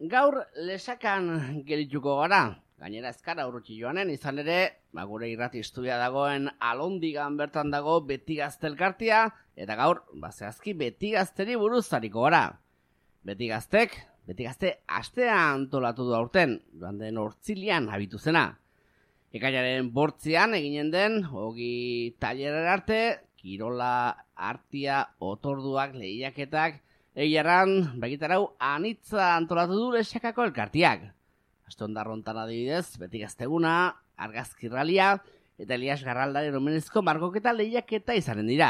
gaur lesakan gelituko gara. Gainera ezkara urrutsi joanen, izan ere, gure irrati estudia dagoen Alondigan bertan dago Beti Gazte elkartea, eta gaur, zehazki Beti Gazteri buruz ariko gara. Beti Gazte astea antolatu du aurten, joan den hortzilian habitu zena. Ekainaren 8 eginen den, ogi tailerera arte, kirola, artia, otorduak, lehiaketak, egiaran, bagitarau, anitza antolatu du lesakako elkartiak. Aste ondarrontan adibidez, Beti Gazteguna, argazkirralia, eta Elias Garraldaren omenezko margoketa lehiaketa izanen dira.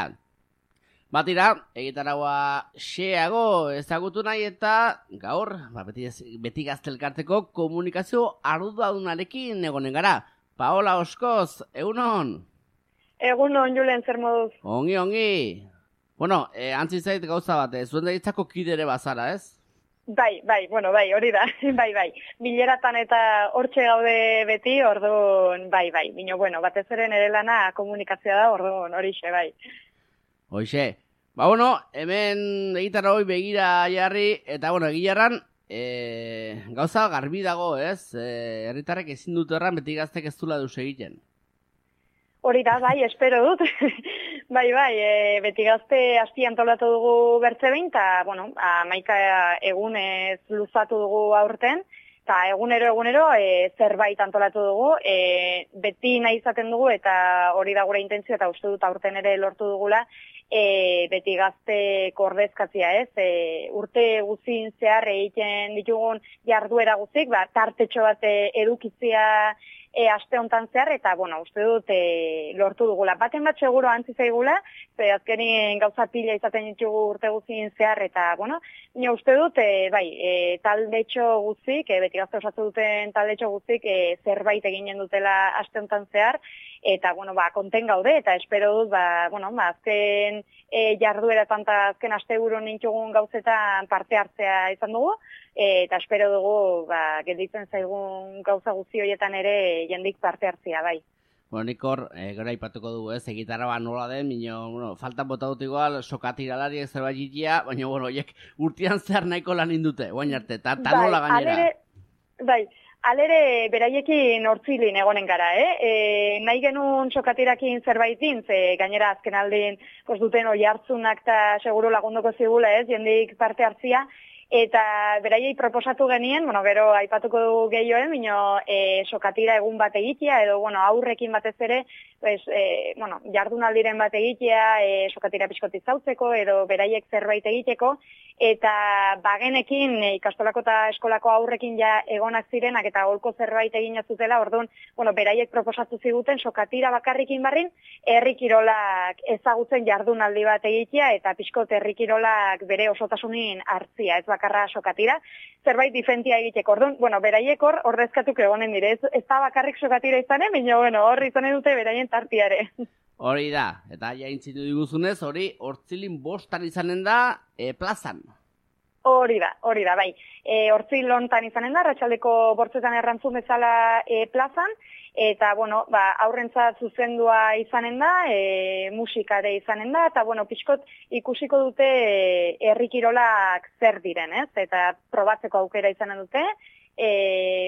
Batira, egitaraua xeago ezagutu nahi eta gaur, Beti Gazte elkarteko komunikazio arduradunarekin egonen gara. Paola Oskoz, egunon? Egunon, Julen, zer moduz? Ongi. Bueno, antzi zait gauza bat, zuen daitzako kidere bazara, ez? Bai, hori da, bai. Bileratan eta hortxe gaude beti, orduan, bai. Bino, batez ere nire lana komunikazioa da, orduan, horixe, bai. Hoxe. Hemen egitara hoi begira jarri, eta, egilarran, gauza garbi dago, ez? Herritarrek ezin dut erran Beti Gaztek ez dula duz egiten. Hori da, bai, espero dut. Bai, Beti Gazte asti antolatu dugu bertze behin, eta, 11 egunez luzatu dugu aurten, eta egunero zerbait antolatu dugu, beti nahi izaten dugu, eta hori da gure intentzio, eta uste dut aurten ere lortu dugula, Beti Gazte kordezkatzia, ez? Urte guzin zehar egiten ditugun jarduera guzik, tartetxo bat edukitzia aste hontan zehar, eta, uste dut lortu dugula. Baten bat seguro antzi zaigula, azkenin gauza pila izaten ditugu urte guzin zehar, eta, uste dut, taldetxo guzik, Beti Gazte osatu duten taldetxo guzik, zerbait eginen dutela aste hontan zehar, eta, konten gaude, eta espero dut, azken jardueratan eta azken asteburu nintugun gauzetan parte hartzea izan dugu, eta espero dugu, gelditzen zaigun gauza guzti horietan ere jendik parte hartzea, bai. Nik hor, gero aipatuko dugu, ez, egitarra nola den, faltan bota dut igual, sokatiralari zerbait jitia, baina, horiek urtean zehar nahiko lan indute, guain arte, eta nola gainera. Alere, beraiekin hortzilin egonen gara, nahi genuen sokatirakin zerbait din, ze gainera azken aldin duten oi hartzunak eta seguru lagunduko zigula, jendik parte hartzia, eta beraiei proposatu genien, gero aipatuko dugu gehioen, sokatira egun bat egitea, edo aurrekin batez ere, jardunaldiren bat egitea, sokatira pixkoti zautzeko, edo beraiek zerbait egiteko, eta bagenekin ikastolako eta eskolako aurrekin ja egonak zirenak eta holko zerbait egin zutela, orduan, beraiek proposatu ziguten sokatira bakarrikin barrin, herrikirolak ezagutzen jardunaldi bat egitea, eta pixkot herrikirolak bere osotasunin hartzia, ez bakarra sokatira, zerbait difentia egiteko. Orduan, beraiek hor ordezkatuk egonen dire, ez da bakarrik sokatira izanen, baina hor izanen dute beraien tartiare. Hori da, eta jaintzitu diguzunez, hori hortzilin 5 izanen da plazan. Hori da, bai. Hortzil hontan izanen da, arratsaldeko 8 errantzun bezala plazan, eta, aurrentzat zuzendua izanen da, musikare izanen da, eta, pixkot ikusiko dute herrikirolak zer diren, ez? Eta probatzeko aukera izanen dute,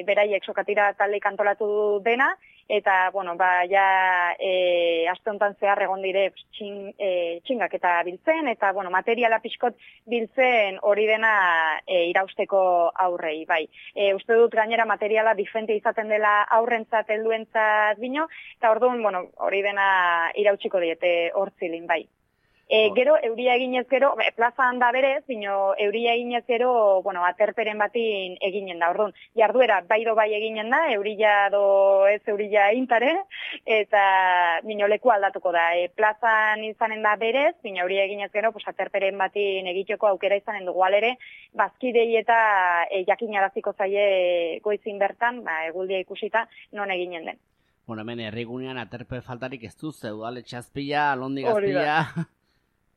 beraiek sokatira taldeik antolatu dena, eta, aste honetan zehar egon dire txingak eta biltzen, eta, materiala pixkot biltzen hori dena irausteko aurrei, bai. Uste dut gainera materiala diferente izaten dela aurrentzat, helduentzat bino, eta orduan, hori dena irautsiko diete hortzilin, bai. Gero, euria eginez gero, plazan da berez, bino euria eginez gero, aterperen batin eginen da. Orduan, jarduera bai eginen da, eurila do ez eurila intare, eta bino leku aldatuko da. Plazan izanen da berez, bino euria eginez gero, aterperen batin egiteko aukera izanen dugu alere, bazkidei eta jakinaraziko zaie goizin bertan, eguldia ikusita, non eginen den. Hemen herrigunean aterpe faltarik ez du, udaletxe azpila, Alondi Gazpila.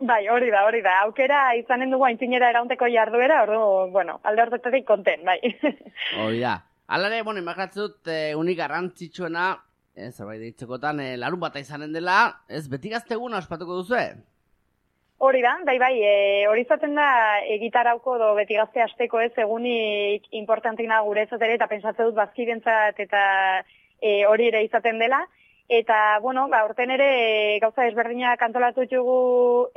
Bai, hori da. Aukera izanen dugu aintzinera eraunteko jarduera, alde horretatik konten, bai. Hori da. Alare, imagatzut, unik garrantzitsuena, zerbait ditzekotan, larun bata izanen dela, ez Beti Gazteguna ospatuko duzue? Hori da, bai, hori izaten da gitarauko do beti gazte asteko ez egunik importantina gure ere eta pentsatze dut bazkidentzat eta hori ere izaten dela. Eta, bueno, urten ere gauza ezberdinak antolatu ditugu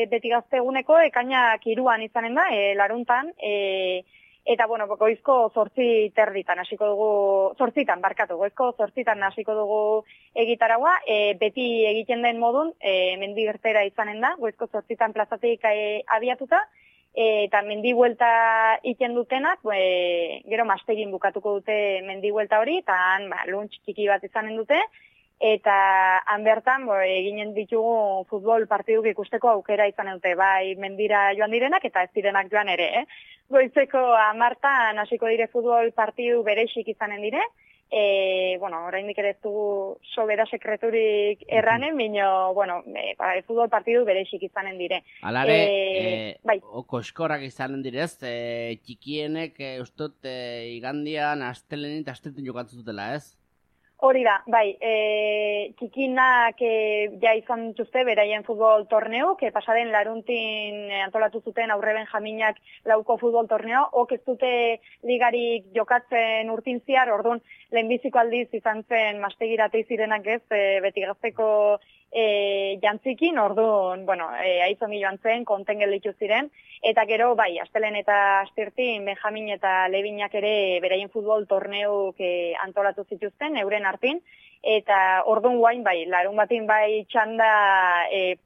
beti gazte eguneko, ekainak 3 izanen da, laruntan, eta, bueno, goizko 8 hasiko dugu, 8 goizko 8 hasiko dugu egitaragua, beti egiten den modun, mendi gertera izanen da, goizko 8 plazatik abiatuta, eta mendi buelta iten dutenak, gero mastegin bukatuko dute mendi buelta hori, eta han, lunch txiki bat izanen dute, eta han bertan eginen ditugu futbol partiduk ikusteko aukera izan dute, bai mendira joan direnak eta ez direnak joan ere. Goizeko 10 hasiko dire futbol partidu berexik izanen dire, oraindik ere ez dugu sobera sekreturik erranen, bino, futbol partidu berexik izanen dire. Alare, koskorrak izanen direz, txikienek ustot igandian astelenin eta astetin jokatzen dutela, ez? Hori da, bai, txikinak ja izan dituzte beraien futbol torneo, pasaden laruntin antolatu zuten aurre benjaminak lauko futbol torneo, ok ez dute ligarik jokatzen urtin ziar, orduan lehenbiziko aldiz izan zen mastegirate zirenak ez, beti gazteko jantzikin, orduan, aizongi joan zen, konten gelditu ziren, eta gero, bai, astelen eta astirtin, Benjamin eta Lebinak ere beraien futbol torneuk antolatu zituzten, euren artin, eta orduan guain, bai, larun batin bai txanda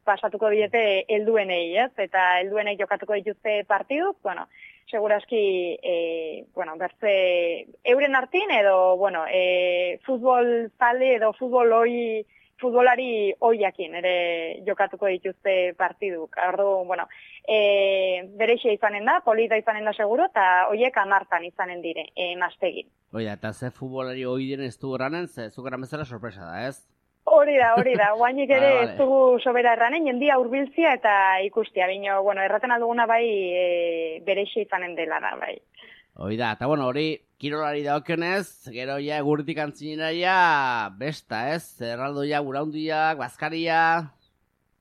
pasatuko diete helduenei, ez? Eta helduenei jokatuko dituzte partiduk, seguraski, bertze euren artin edo, futbol zale edo futbolari hoiakin ere jokatuko dituzte partiduk. Orduan, bereixe izanen da, polita izanen da seguro, eta hoiek 10 izanen dire, mastegin. Oida, eta ze futbolari hoi diren ez du erranen, ze zukeran bezala sorpresa da, ez? Hori da, guainik ere ez dugu sobera erranen, jendia hurbiltzia eta ikustia, bino, erraten alduguna bai bereixe izanen dela da, bai. Oida, eta hori kirolari daukionez, gero ja egurtik antzinera ja besta, ez? Erraldoia, guraundiak, bazkaria...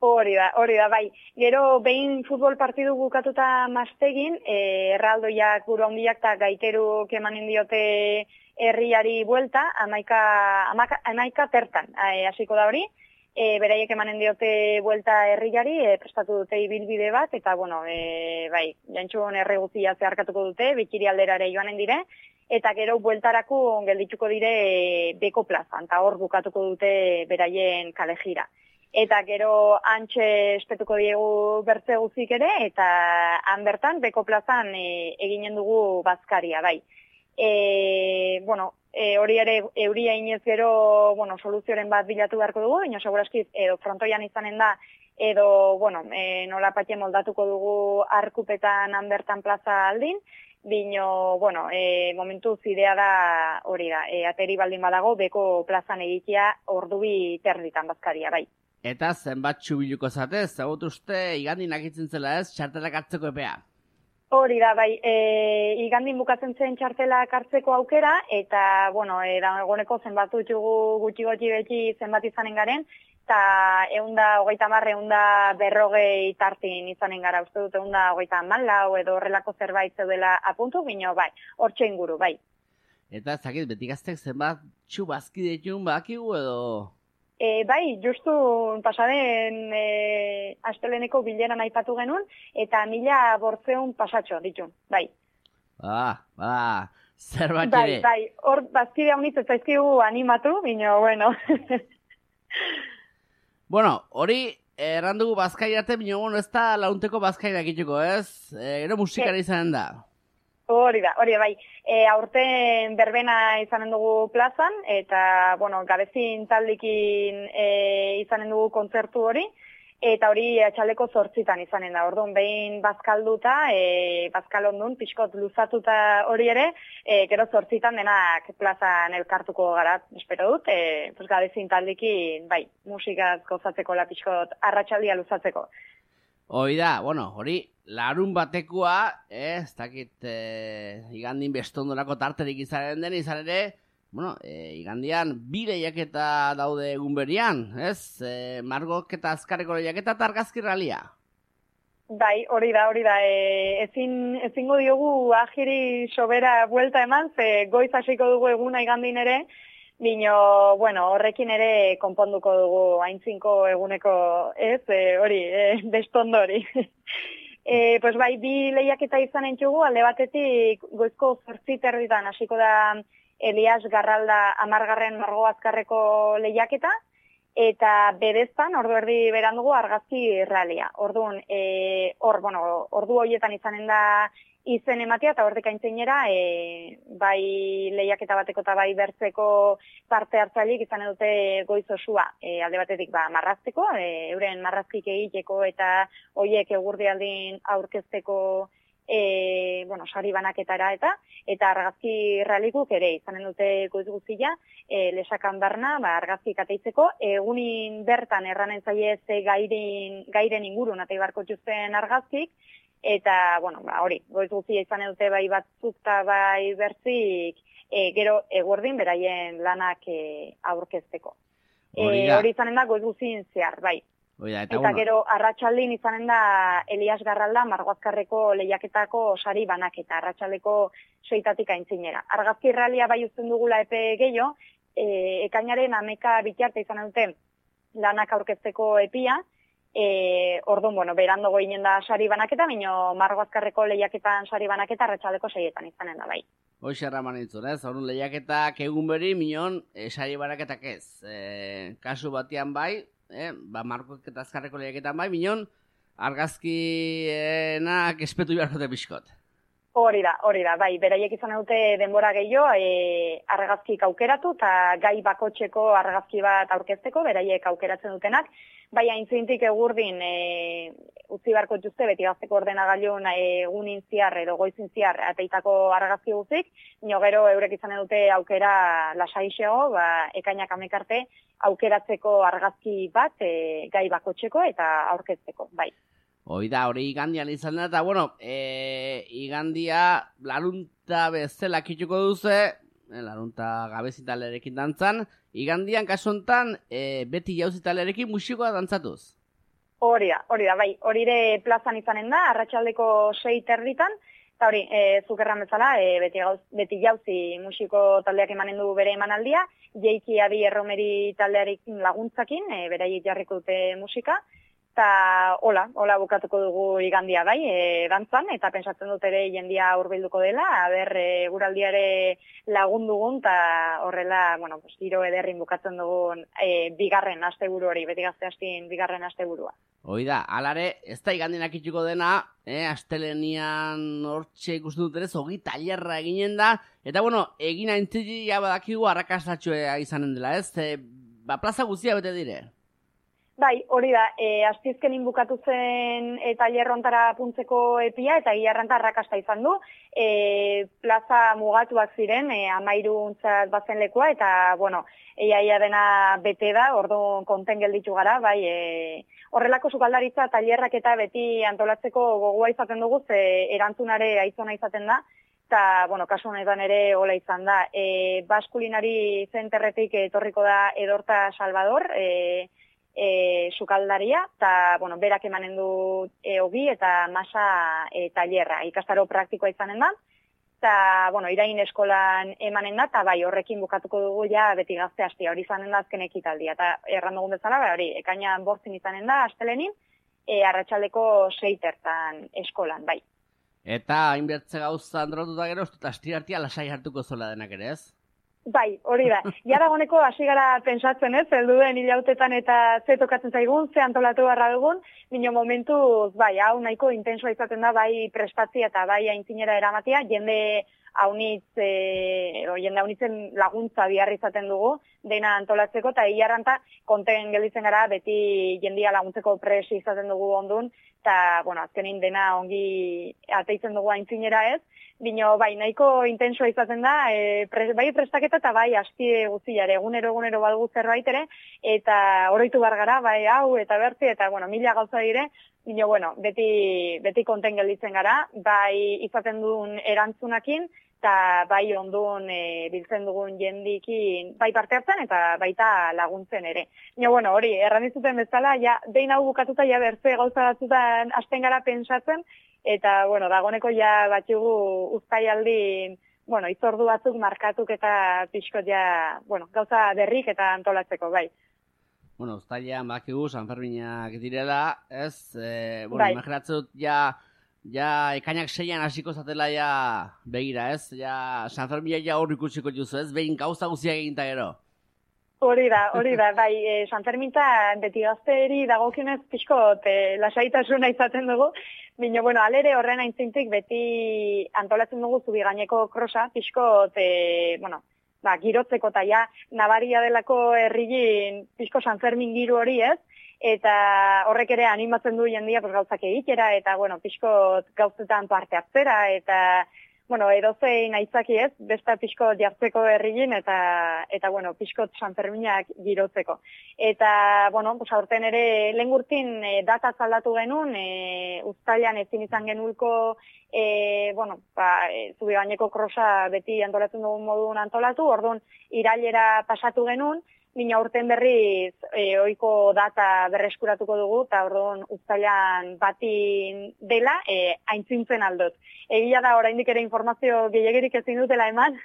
Hori da, bai. Gero behin futbol partidu bukatuta mastegin, erraldoiak, guraundiak eta gaiteruk emanen diote herriari buelta, 11 tertan hasiko da hori. Beraiek emanen diote buelta herriari, prestatu dute ibilbide bat, eta, bai, jantxun erreguzia zeharkatuko dute, bikiri alderare joanen dire, eta gero bueltarako geldituko dire beko plazan, eta hor bukatuko dute beraien kalejira. Eta gero antxe espetuko diegu bertze guzik ere, eta han bertan beko plazan eginen dugu bazkaria, bai. Hori ere euria inez gero, soluzioren bat bilatu beharko dugu, baina segurazki edo frontoian izanen da, edo, nola patxe moldatuko dugu arkupetan hanbertan plaza aldin, bino, momentu zidea da hori da, ateri baldin badago, beko plazan egitea ordubi terditan bazkaria, bai. Eta zenbat txubiluko zatez, zagut uste igandin akitzen zela ez, txartelak hartzeko epea? Hori da, bai, igandin bukatzen zen txartelak hartzeko aukera, eta, dagoneko zenbatu ditugu gutxi beti zenbat izanen garen, eta 130-140 tartin izanen gara, uste dut 134 edo horrelako zerbait zeudela apuntu, bino, bai, hortxe inguru, bai. Eta zakit, beti gaztek zenbat txubazki ditun bakigu edo... Bai, justu pasaden asteleneko bileran aipatu genuen, eta 1500 pasatxo ditun, bai. Zerbat ere. Bai, hor bazkide haunitz ez zaizkigu animatu, bino, hori errandugu bazkairate, bino, ez da launteko bazkairak itxuko, ez? Gero musikari izanen da. Hori da, bai. Aurten berbena izanen dugu plazan, eta, gabezin taldikin izanen dugu kontzertu hori, eta hori atxaldeko 8 izanen da. Orduan, behin bazkalduta, bazkalondun, pixkot luzatuta hori ere, gero 8 denak plazan elkartuko gara, espero dut, gabezin taldikin, bai, musikaz gozatzeko la pixkot arratsaldia luzatzeko. Oida, hori larun batekoa, ez dakit igandin bestondorako tarterik izaren den, izan ere, igandian 2 lehiaketa daude egun berian, ez? Margok eta azkareko lehiaketa eta argazki ralia. Bai, hori da. Ezingo diogu ajiri sobera buelta eman, ze goiz hasiko dugu eguna igandin ere, bino, bueno, horrekin ere konponduko dugu aintzinko eguneko, ez, hori, bestondo hori. Pues bai, bi lehiaketa izan entzugu, alde batetik goizko 8:30 hasiko da Elias Garralda 10. Margo Azkarreko lehiaketa, eta bedeztan, ordu erdi berandugu argazki ralia. Orduan, ordu horietan izanen da izen ematea, eta hortik aintzinera, bai lehiaketa bateko eta bai bertzeko parte hartzaileek izan dute goiz osua, alde batetik marrazteko, euren marrazkik egiteko eta hoiek egurdialdin aurkezteko sari banaketara eta argazki realikuk ere izanen dute goiz guztia, lesakan barna, argazki kateitzeko, egunin bertan erranen zaie ze gairen ingurun atei barko txuzen argazkik, eta, hori, goiz guztia izanen dute bai batzuk eta bai bertzik, gero eguerdin beraien lanak aurkezteko. Hori izanen da goiz guztien zehar, bai. Eta gero arratsaldin izanen da Elias Garralda Margo Azkarreko lehiaketako sari banaketa, arratsaldeko 6:00 aintzinera. Argazki realia bai uzten dugula epe gehiago, ekainaren 11 bitarte izanen dute lanak aurkezteko epia, orduan, berandogo ginen da sari banaketa, baina Margo Azkarreko lehiaketan sari banaketa arratsaldeko 6:00 izanen da bai. Hoxe erraman entzun, ez? Horun lehiaketak egun beri, minon, sari banaketak ez. Kasu batean bai, Margo Azkarreko lehiaketan bai, minon, argazkienak espetu beharkote pixkot. Hori da, bai, beraiek izan dute denbora gehiago, argazkik aukeratu eta gai bakotxeko argazki bat aurkezteko, beraiek aukeratzen dutenak, bai aintzintik egurdin utzi barko jutze beti gazteko ordenagailun egunin ziar edo goizin ziar ateitako argazki guztik, nio gero eurek izan dute aukera lasaixego, ekainak amekarte aukeratzeko argazki bat gai bakotxeko eta aurkezteko, bai. Hoi da, hori igandian izan da, eta igandia larunta bezala kitxuko duze, larunta gabezitalerekin dantzan, igandian kasu hontan beti jauzitalerekin musikoa dantzatuz. Hori da, bai, hori ere plazan izanen da, arratsaldeko 6:30, eta hori, zukerran bezala, beti jauzi musiko taldeak emanen du bere emanaldia, Jeiki Adi Erromeri taldearekin laguntzakin, beraiek jarriko dute musika, eta hola bukatuko dugu igandia bai, dantzan, eta pentsatzen dut ere jendia hurbilduko dela, guraldiare lagundugun, eta horrela, giro ederrin bukatzen dugun bigarren asteburu hori, beti gazte hastin bigarren asteburua. Hoi da, alare, ez da igandienak itxuko dena, astelenian hortxe ikusten dut ere, zogi tailerra eginen da, eta egin aintzili badakigu arrakastatxoa izanen dela, ez? Plaza guztia bete dire? Bai, hori da, astizkenin bukatu zen tailer hontara puntzeko epia, eta gilarranta arrakasta izan du. Plaza mugatuak ziren, 13 bazen lekua, eta, ia dena bete da, orduan konten gelditu gara, bai, horrelako sukaldaritza tailerrak eta beti antolatzeko gogoa izaten dugu, ze erantzunare aizona izaten da, eta, kasu honetan ere hola izan da. Baskulinari zenterretik etorriko da Edorta Salvador, sukaldaria, eta, berak emanen du ogi eta masa tailerra, ikastaro praktikoa izanen da, eta, irain eskolan emanen da, eta bai, horrekin bukatuko dugu ja beti gazte hastia, hori izanen da azken ekitaldia, eta erran dugun bezala, hori, ekainan 8 izanen da, astelenin, arratsaldeko 6 eskolan, bai. Eta hainbertze gauza androtuta gero, eta astirartia lasai hartuko zola denak ere, ez? Bai, hori da. Jaragoneko hasi gara pentsatzen, ez, helduen hilautetan eta ze tokatzen zaigun, ze antolatu barra dugun, bino momentuz, bai, hau nahiko intensoa izaten da, bai prestatzia eta bai aintzinera eramatia, jende haunitzen laguntza biharri izaten dugu, dena antolatzeko, eta hilarranta konten gelditzen gara, beti jendia laguntzeko presi izaten dugu ondun, eta, azkenin dena ongi ateitzen dugu aintzinera ez, bino, bai, nahiko intensoa izaten da, bai prestaketa eta bai asti guztiare, egunero balgu zerbait ere, eta oroitu bargara, bai hau eta bertzi, eta, mila gauza dire, bino, beti konten gelditzen gara, bai izaten duen erantzunakin, eta bai ondun biltzen dugun jendikin bai parte hartzen eta baita laguntzen ere. Baina, bueno, hori, erran dizuten bezala, ja, behin hau bukatuta, ja, bertze gauza batzutan hasten gara pentsatzen, eta, bueno, dagoneko ja batxugu uztailaldin, bueno, itzordu batzuk markatuk eta pixkot ja, bueno, gauza berrik eta antolatzeko, bai. Bueno, uztailean bakigu Sanferminak direla, ez? Bueno, Bai. imaginatzut ja ekainak 6an hasiko zatela ja begira, ez? Ja Sanfermina ja hor ikusiko duzu, ez? Behin gauza guztiak eginta gero. Hori da, bai, Sanferminta beti gazteri dagokionez pixkot lasaitasuna izaten dugu, baina, bueno, alere horren aintzintik beti antolatzen dugu zubi gaineko krosa, pixkot, bueno, girotzeko eta ja, nabaria delako herrigin pixko Sanfermin giru hori, ez? Eta horrek ere animatzen du jendia gauzak egitera, eta, bueno, pixkot gauzetan parte hartzera, eta, bueno, edozein aitzaki ez, besta pixkot jartzeko herrigin, eta bueno, pixkot Sanferminak girotzeko. Eta, bueno, aurten ere lehengurtin data aldatu genuen, uztailean ezin izan genulko, bueno, zubi gaineko krosa beti antolatzen dugun modun antolatu, orduan irailera pasatu genuen, Mina urten berriz ohiko data berreskuratuko dugu, eta orduan uztailan batin dela aintzintzen aldot. Egia da, oraindik ere informazio gehiagirik ezin dutela eman,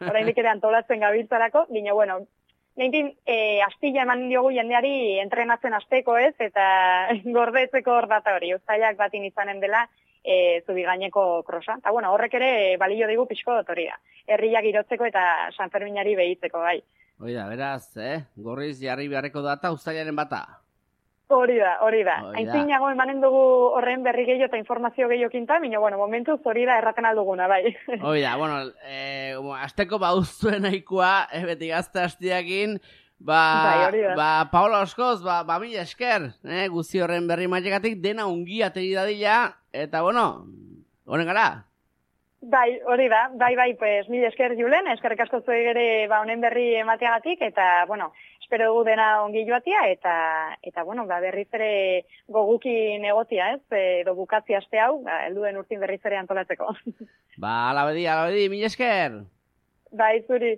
oraindik ere antolatzen gabiltzarako, baina, bueno, lehentin astilla eman diogu jendeari entrenatzen asteko ez, eta gordetzeko hor data hori, uztailak batin izanen dela zubi gaineko krosa. Eta, bueno, horrek ere balio digu pixko hori da. Herriak girotzeko eta Sanferminari behitzeko, bai. Hori da, beraz, gorriz jarri beharreko data uztailaren bata. Hori da. Aintzinago emanen dugu horren berri gehiago eta informazio gehiagokinta, baina, bueno, momentuz hori da erraten alduguna, bai. Hori da, bueno, azteko bauztuen nahikoa, beti gazte hastiakin, Paola Oskoz, mila esker, guzi horren berri mailekatik dena ungi ateri dadila, eta, bueno, honen gara. Bai, hori da, bai, pues, mila esker Julen, eskerrik asko zuei ere honen berri emateagatik, eta, bueno, espero dugu dena ongi joatia, eta bueno, berriz ere gogukin egotia, ez, edo bukatzi aste hau, helduen urtin berriz ere antolatzeko. Alabedi, mila esker. Bai, zuri.